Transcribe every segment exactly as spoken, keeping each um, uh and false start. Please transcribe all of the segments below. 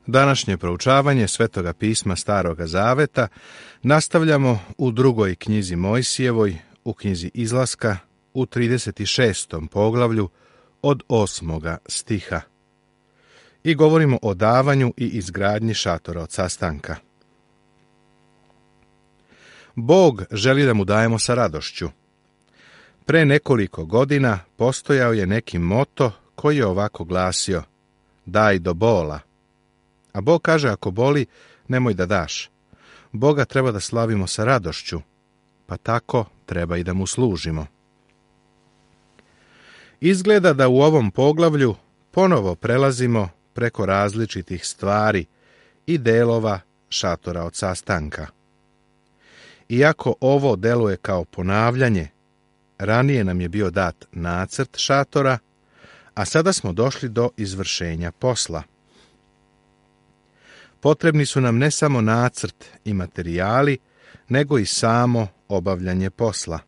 Današnje proučavanje Svetoga pisma Staroga Zaveta nastavljamo u drugoj knjizi Mojsijevoj, u knjizi Izlaska, u trideset šestom poglavlju od osmoga stiha. I govorimo o davanju i izgradnji šatora od sastanka. Bog želi da mu dajemo sa radošću. Pre nekoliko godina postojao je neki moto koji je ovako glasio: daj do bola. A Bog kaže, ako boli, nemoj da daš. Boga treba da slavimo sa radošću, pa tako treba i da mu služimo. Izgleda da u ovom poglavlju ponovo prelazimo preko različitih stvari i delova šatora od sastanka. Iako ovo deluje kao ponavljanje, ranije nam je bio dat nacrt šatora, a sada smo došli do izvršenja posla. Potrebni su nam ne samo nacrt i materijali, nego i samo obavljanje posla.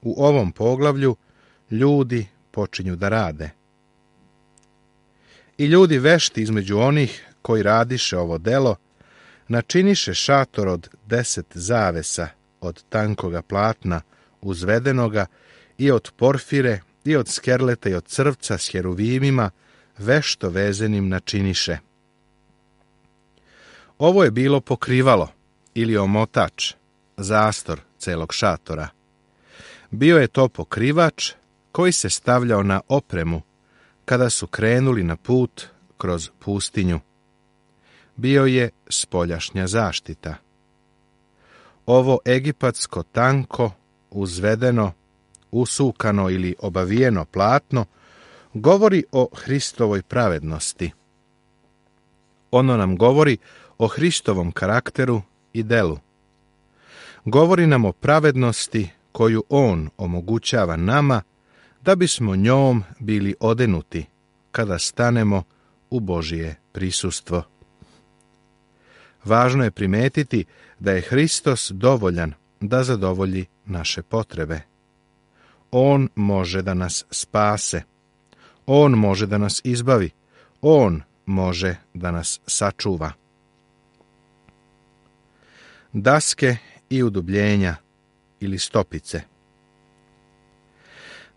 U ovom poglavlju ljudi počinju da rade. I ljudi vešti između onih koji radiše ovo delo, načiniše šator od deset zavesa, od tankoga platna, uzvedenoga, i od porfire, i od skerleta, i od crvca s heruvimima, vešto vezenim načiniše. Ovo je bilo pokrivalo, ili omotač, zastor celog šatora. Bio je to pokrivač koji se stavljao na opremu kada su krenuli na put kroz pustinju. Bio je spoljašnja zaštita. Ovo egipatsko tanko, uzvedeno, usukano ili obavijeno platno govori o Hristovoj pravednosti. Ono nam govori o Hristovom karakteru i delu. Govori nam o pravednosti koju On omogućava nama da bismo njom bili odenuti kada stanemo u Božije prisustvo. Važno je primetiti da je Hristos dovoljan da zadovolji naše potrebe. On može da nas spase. On može da nas izbavi. On može da nas sačuva. Daske i udubljenja ili stopice.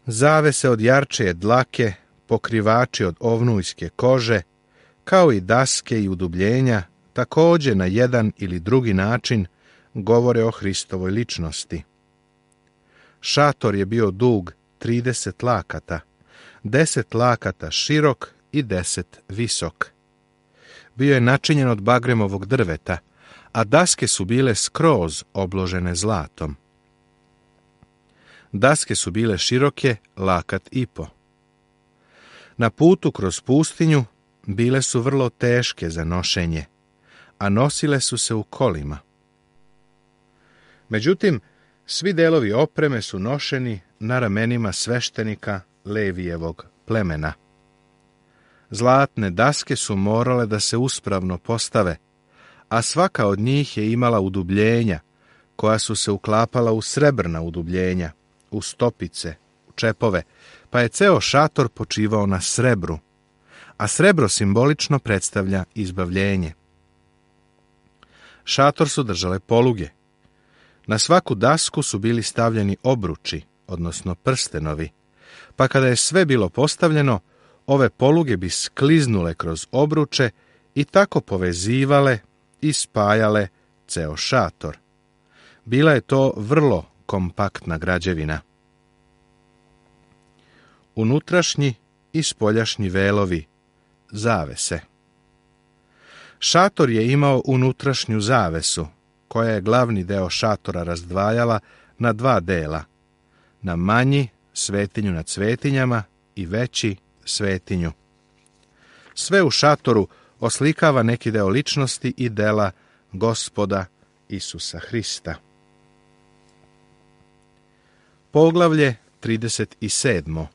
Zavese od jarčeje dlake, pokrivači od ovnujske kože, kao i daske i udubljenja, također na jedan ili drugi način govore o Hristovoj ličnosti. Šator je bio dug trideset lakata, deset lakata širok i deset visok. Bio je načinjen od bagremovog drveta, a daske su bile skroz obložene zlatom. Daske su bile široke lakat i po. Na putu kroz pustinju bile su vrlo teške za nošenje, a nosile su se u kolima. Međutim, svi delovi opreme su nošeni na ramenima sveštenika Levijevog plemena. Zlatne daske su morale da se uspravno postave, a svaka od njih je imala udubljenja, koja su se uklapala u srebrna udubljenja, u stopice, u čepove, pa je ceo šator počivao na srebru, a srebro simbolično predstavlja izbavljenje. Šator su držale poluge. Na svaku dasku su bili stavljeni obruči, odnosno prstenovi, pa kada je sve bilo postavljeno, ove poluge bi skliznule kroz obruče i tako povezivale i spajale ceo šator. Bila je to vrlo kompaktna građevina. Unutrašnji i spoljašnji velovi, zavese. Šator je imao unutrašnju zavesu, koja je glavni deo šatora razdvajala na dva dela, na manji, svetinju nad svetinjama, i veći, svetinju. Sve u šatoru oslikava neki deo ličnosti i dela Gospoda Isusa Hrista. Poglavlje trideset sedmo.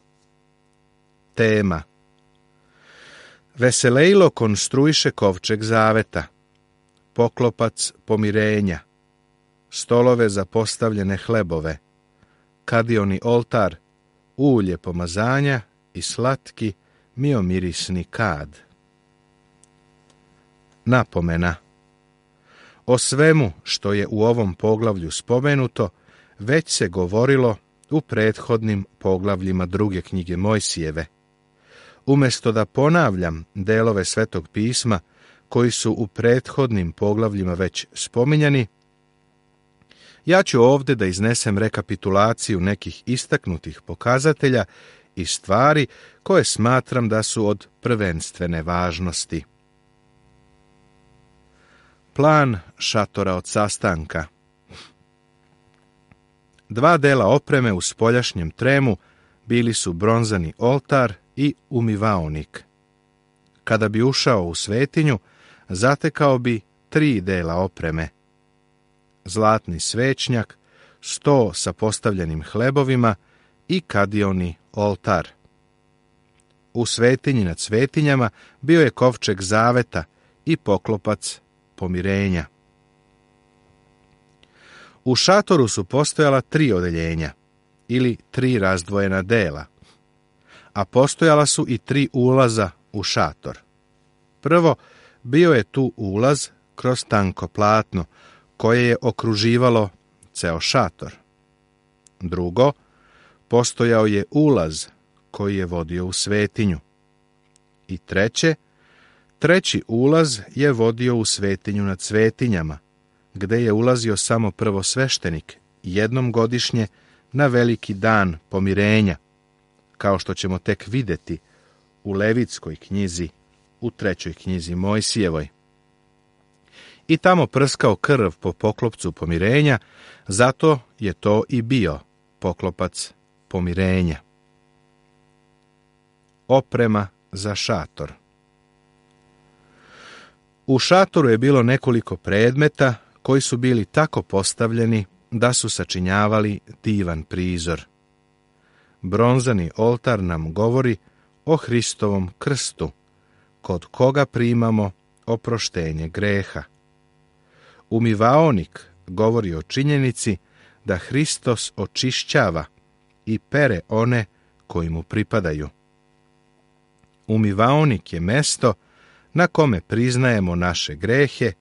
Tema: Veselejlo konstruiše kovčeg zaveta, poklopac pomirenja, stolove za postavljene hlebove, kadioni oltar, ulje pomazanja i slatki miomirisni kad. napomena. O svemu što je u ovom poglavlju spomenuto, već se govorilo u prethodnim poglavljima druge knjige Mojsijeve. Umjesto da ponavljam delove Svetog pisma koji su u prethodnim poglavljima već spominjani, ja ću ovdje da iznesem rekapitulaciju nekih istaknutih pokazatelja i stvari koje smatram da su od prvenstvene važnosti. Plan šatora od sastanka. Dva dela opreme u spoljašnjem tremu bili su bronzani oltar i umivaonik. Kada bi ušao u svetinju, zatekao bi tri dela opreme. Zlatni svećnjak, sto sa postavljenim hlebovima i kadioni oltar. U svetinji nad svetinjama bio je kovčeg zaveta i poklopac pomirenja. U šatoru su postojala tri odeljenja, ili tri razdvojena dela, a postojala su i tri ulaza u šator. Prvo, bio je tu ulaz kroz tanko platno, koje je okruživalo ceo šator. Drugo, postojao je ulaz koji je vodio u svetinju. I treće, treći ulaz je vodio u svetinju nad svetinjama, gde je ulazio samo prvosveštenik jednom godišnje na veliki dan pomirenja, kao što ćemo tek vidjeti u Levitskoj knjizi, u trećoj knjizi Mojsijevoj. I tamo prskao krv po poklopcu pomirenja, zato je to i bio poklopac pomirenja. Oprema za šator. U šatoru je bilo nekoliko predmeta koji su bili tako postavljeni da su sačinjavali divan prizor. Bronzani oltar nam govori o Hristovom krstu, kod koga primamo oproštenje greha. Umivaonik govori o činjenici da Hristos očišćava i pere one koji mu pripadaju. Umivaonik je mesto na kome priznajemo naše grehe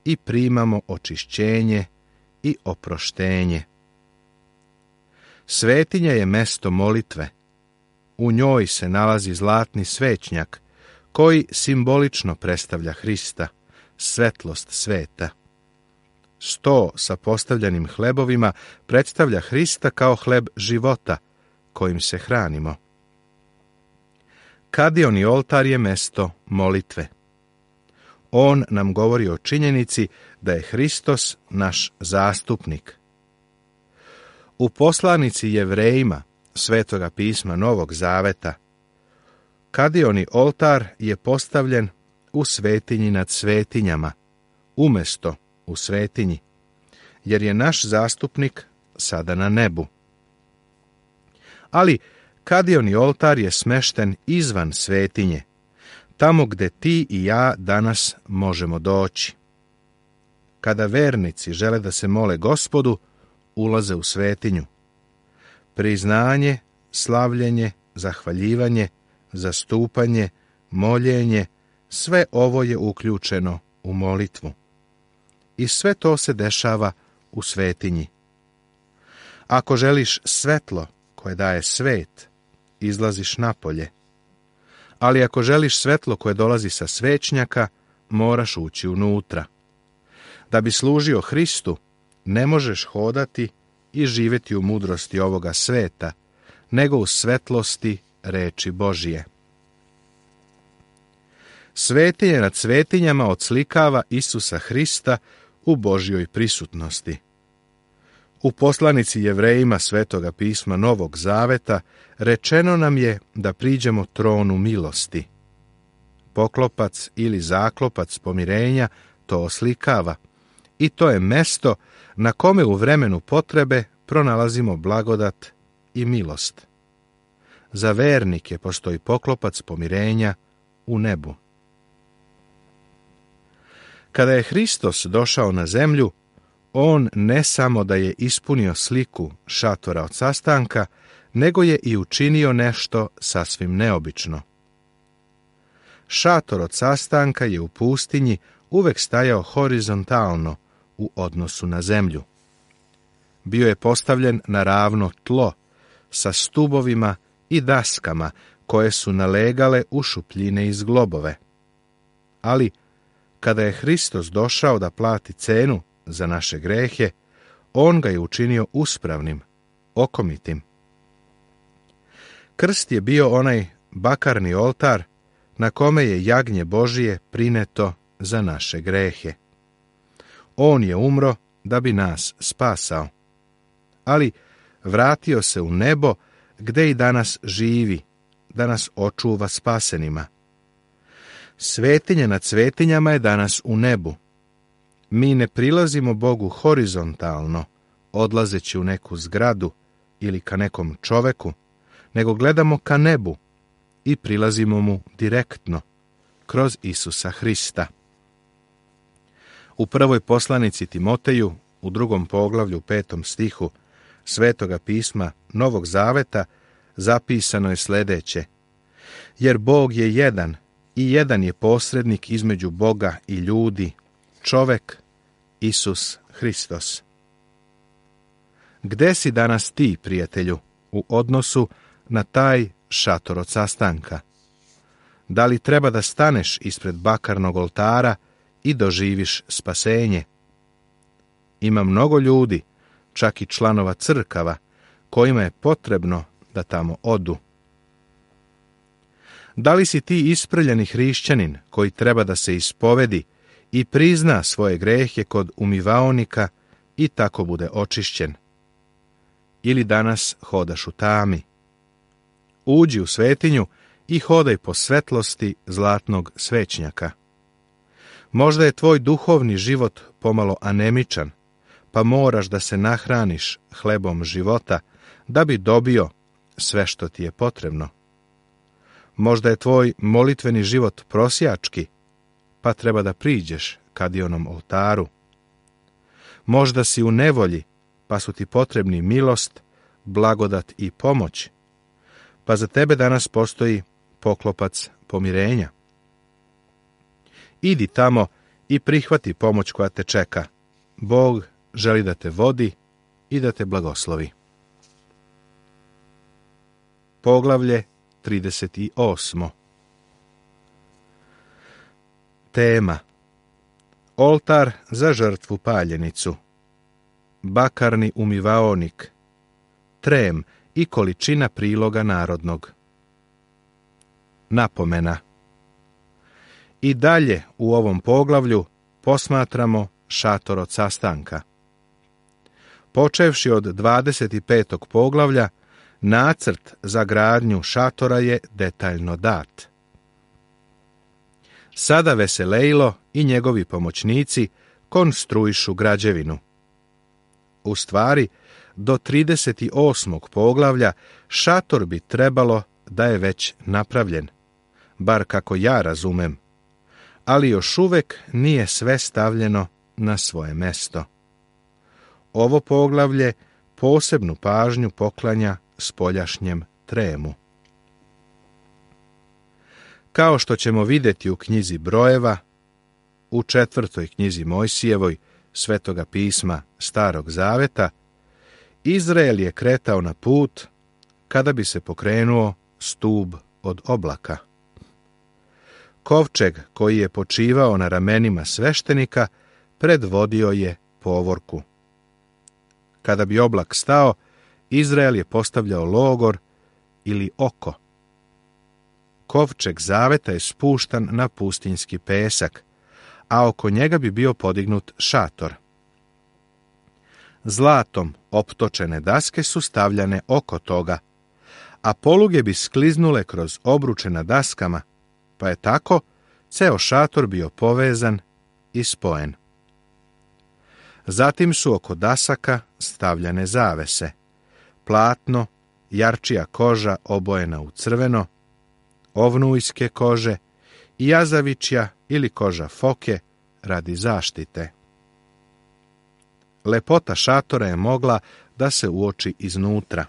i primamo očišćenje i oproštenje. Svetinja je mesto molitve. U njoj se nalazi zlatni svećnjak, koji simbolično predstavlja Hrista, svetlost sveta. Sto sa postavljenim hlebovima predstavlja Hrista kao hleb života, kojim se hranimo. Kadioni oltar je mesto molitve. On nam govori o činjenici da je Hristos naš zastupnik. U poslanici Jevrejima Svetoga pisma Novog Zaveta, kadioni oltar je postavljen u svetinji nad svetinjama, umjesto u svetinji, jer je naš zastupnik sada na nebu. Ali kadioni oltar je smešten izvan svetinje, tamo gde ti i ja danas možemo doći. Kada vernici žele da se mole Gospodu, ulaze u svetinju. Priznanje, slavljenje, zahvaljivanje, zastupanje, moljenje, sve ovo je uključeno u molitvu. I sve to se dešava u svetinji. Ako želiš svetlo koje daje svet, izlaziš napolje. Ali ako želiš svetlo koje dolazi sa svećnjaka, moraš ući unutra. Da bi služio Hristu, ne možeš hodati i živjeti u mudrosti ovoga sveta, nego u svetlosti reči Božije. Svetinje nad svetinjama odslikava Isusa Hrista u Božjoj prisutnosti. U poslanici Jevrejima Svetoga pisma Novog Zaveta rečeno nam je da priđemo tronu milosti. Poklopac ili zaklopac pomirenja to oslikava i to je mesto na kome u vremenu potrebe pronalazimo blagodat i milost. Za vernike postoji poklopac pomirenja u nebu. Kada je Hristos došao na zemlju, on ne samo da je ispunio sliku šatora od sastanka, nego je i učinio nešto sasvim neobično. šator od sastanka je u pustinji uvek stajao horizontalno u odnosu na zemlju. Bio je postavljen na ravno tlo, sa stubovima i daskama koje su nalegale u šupljine i zglobove. Ali, kada je Hristos došao da plati cenu za naše grehe, on ga je učinio uspravnim, okomitim. Krst je bio onaj bakarni oltar na kome je jagnje Božije prineto za naše grehe. On je umro da bi nas spasao, ali vratio se u nebo gde i danas živi, da nas očuva spasenima. Svetinja nad svetinjama je danas u nebu. Mi ne prilazimo Bogu horizontalno, odlazeći u neku zgradu ili ka nekom čoveku, nego gledamo ka nebu i prilazimo mu direktno, kroz Isusa Hrista. U prvoj poslanici Timoteju, u drugom poglavlju, petom stihu Svetoga pisma Novog Zaveta, zapisano je sljedeće: jer Bog je jedan i jedan je posrednik između Boga i ljudi, čovek Isus Hristos. Gde si danas ti, prijatelju, u odnosu na taj šator od sastanka? Da li treba da staneš ispred bakarnog oltara i doživiš spasenje? Ima mnogo ljudi, čak i članova crkava, kojima je potrebno da tamo odu. Da li si ti isprljeni hrišćanin koji treba da se ispovedi i prizna svoje grehe kod umivaonika i tako bude očišćen? Ili danas hodaš u tami? Uđi u svetinju i hodaj po svetlosti zlatnog svećnjaka. Možda je tvoj duhovni život pomalo anemičan, pa moraš da se nahraniš hlebom života da bi dobio sve što ti je potrebno. Možda je tvoj molitveni život prosjački, pa treba da priđeš kadionom oltaru. Možda si u nevolji, pa su ti potrebni milost, blagodat i pomoć, pa za tebe danas postoji poklopac pomirenja. Idi tamo i prihvati pomoć koja te čeka. Bog želi da te vodi i da te blagoslovi. Poglavlje trideset osmo. Tema: oltar za žrtvu paljenicu, bakarni umivaonik, trem i količina priloga narodnog. Napomena: i dalje u ovom poglavlju posmatramo šator od sastanka. Počevši od dvadeset petog poglavlja, nacrt za gradnju šatora je detaljno dat. Sada Veselejlo i njegovi pomoćnici konstruišu građevinu. U stvari, do trideset osmog poglavlja šator bi trebalo da je već napravljen, bar kako ja razumem, ali još uvek nije sve stavljeno na svoje mesto. Ovo poglavlje posebnu pažnju poklanja spoljašnjem tremu. Kao što ćemo vidjeti u knjizi Brojeva, u četvrtoj knjizi Mojsijevoj Svetoga pisma Starog Zaveta, Izrael je kretao na put kada bi se pokrenuo stub od oblaka. Kovčeg koji je počivao na ramenima sveštenika predvodio je povorku. Kada bi oblak stao, Izrael je postavljao logor ili oko. Kovčeg zaveta je spuštan na pustinjski pesak, a oko njega bi bio podignut šator. Zlatom optočene daske su stavljane oko toga, a poluge bi skliznule kroz obruče na daskama, pa je tako ceo šator bio povezan i spojen. Zatim su oko dasaka stavljane zavese, platno, jarčija koža obojena u crveno, ovnujske kože i jazavičja ili koža foke radi zaštite. Lepota šatora je mogla da se uoči iznutra.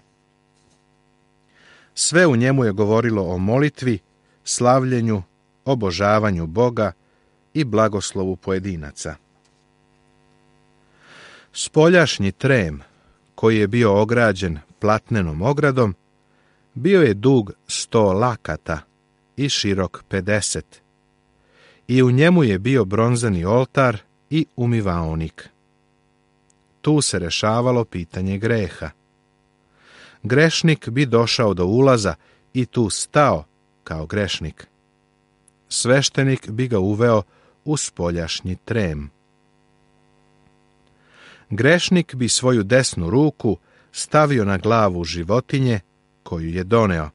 Sve u njemu je govorilo o molitvi, slavljenju obožavanju Boga i blagoslovu pojedinaca. Spoljašnji trem, koji je bio ograđen platnenom ogradom, bio je dug sto lakata i širok pedeset, i u njemu je bio bronzani oltar i umivaonik. Tu se rešavalo pitanje greha. Grešnik bi došao do ulaza i tu stao kao grešnik. Sveštenik bi ga uveo u spoljašnji trem. Grešnik bi svoju desnu ruku stavio na glavu životinje koju je doneo,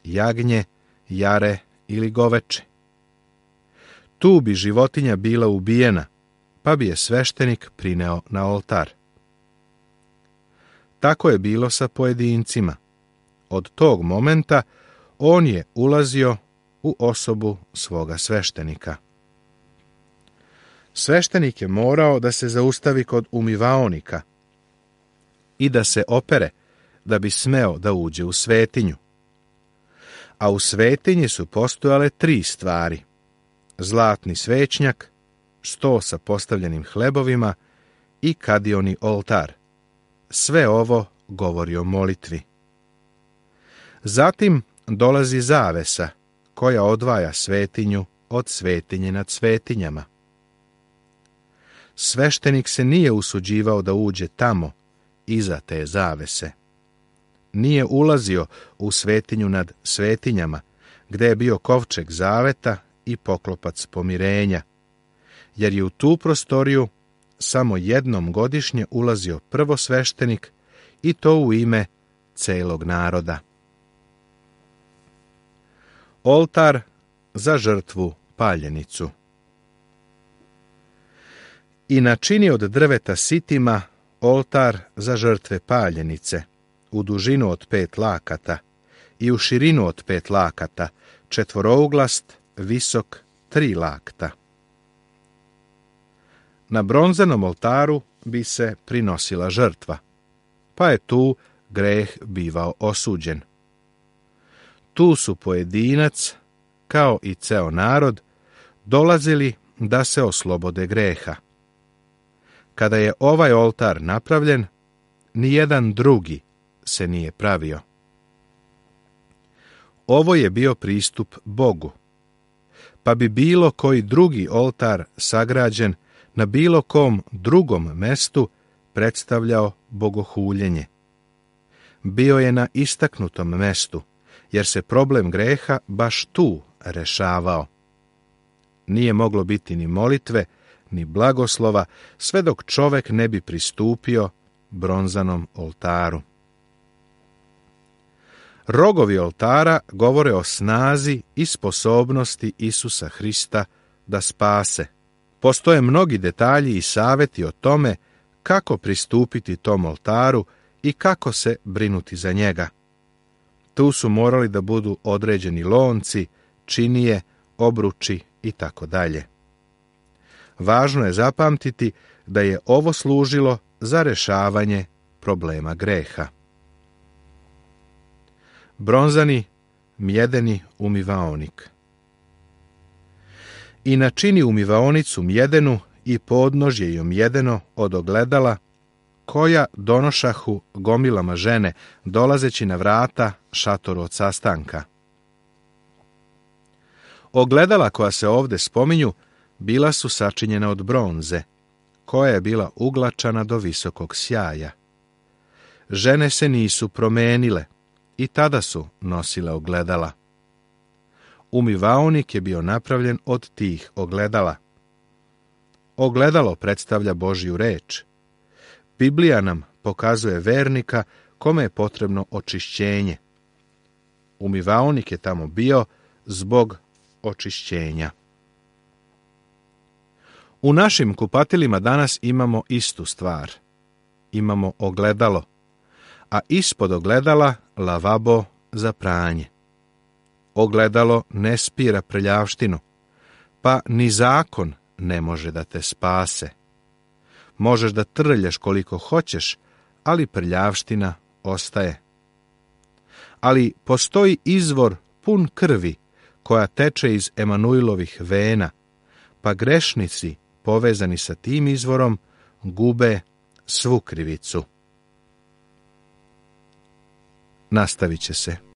jagnje, jare ili goveče. Tu bi životinja bila ubijena, pa bi je sveštenik prineo na oltar. Tako je bilo sa pojedincima. Od tog momenta on je ulazio u osobu svoga sveštenika. Sveštenik je morao da se zaustavi kod umivaonika i da se opere da bi smeo da uđe u svetinju. A u svetinji su postojale tri stvari: zlatni svećnjak, sto sa postavljenim hlebovima i kadioni oltar. Sve ovo govori o molitvi. Zatim dolazi zavesa koja odvaja svetinju od svetinje nad svetinjama. Sveštenik se nije usuđivao da uđe tamo, iza te zavese. Nije ulazio u svetinju nad svetinjama, gde je bio kovčeg zaveta i poklopac pomirenja, jer je u tu prostoriju samo jednom godišnje ulazio prvosveštenik, i to u ime celog naroda. Oltar za žrtvu paljenicu. I načini od drveta sitima oltar za žrtve paljenice, u dužinu od pet lakata i u širinu od pet lakata, četvorouglast, visok tri lakta. Na bronzanom oltaru bi se prinosila žrtva, pa je tu greh bivao osuđen. Tu su pojedinac, kao i ceo narod, dolazili da se oslobode greha. Kada je ovaj oltar napravljen, nijedan drugi se nije pravio. Ovo je bio pristup Bogu, pa bi bilo koji drugi oltar sagrađen na bilo kom drugom mestu predstavljao bogohuljenje. Bio je na istaknutom mestu, jer se problem greha baš tu rešavao. Nije moglo biti ni molitve, ni blagoslova, sve dok čovek ne bi pristupio bronzanom oltaru. Rogovi oltara govore o snazi i sposobnosti Isusa Hrista da spase. Postoje mnogi detalji i saveti o tome kako pristupiti tom oltaru i kako se brinuti za njega. Tu su morali da budu određeni lonci, činije, obruči i tako dalje. Važno je zapamtiti da je ovo služilo za rešavanje problema greha. Bronzani, mjedeni umivaonik. I načini umivaonicu mjedenu i podnožje joj mjedeno od ogledala, koja donošahu gomilama žene, dolazeći na vrata šatoru od sastanka. Ogledala koja se ovde spominju bila su sačinjena od bronze, koja je bila uglačana do visokog sjaja. Žene se nisu promenile i tada su nosile ogledala. Umivaonik je bio napravljen od tih ogledala. Ogledalo predstavlja Božju reč. Biblija nam pokazuje vernika kome je potrebno očišćenje. Umivaonik je tamo bio zbog očišćenja. U našim kupatilima danas imamo istu stvar. Imamo ogledalo, a ispod ogledala lavabo za pranje. Ogledalo ne spira prljavštinu, pa ni zakon ne može da te spase. Možeš da trljaš koliko hoćeš, ali prljavština ostaje. Ali postoji izvor pun krvi koja teče iz Emanuilovih vena, pa grešnici povezani sa tim izvorom gube svu krivicu. Nastavit će se.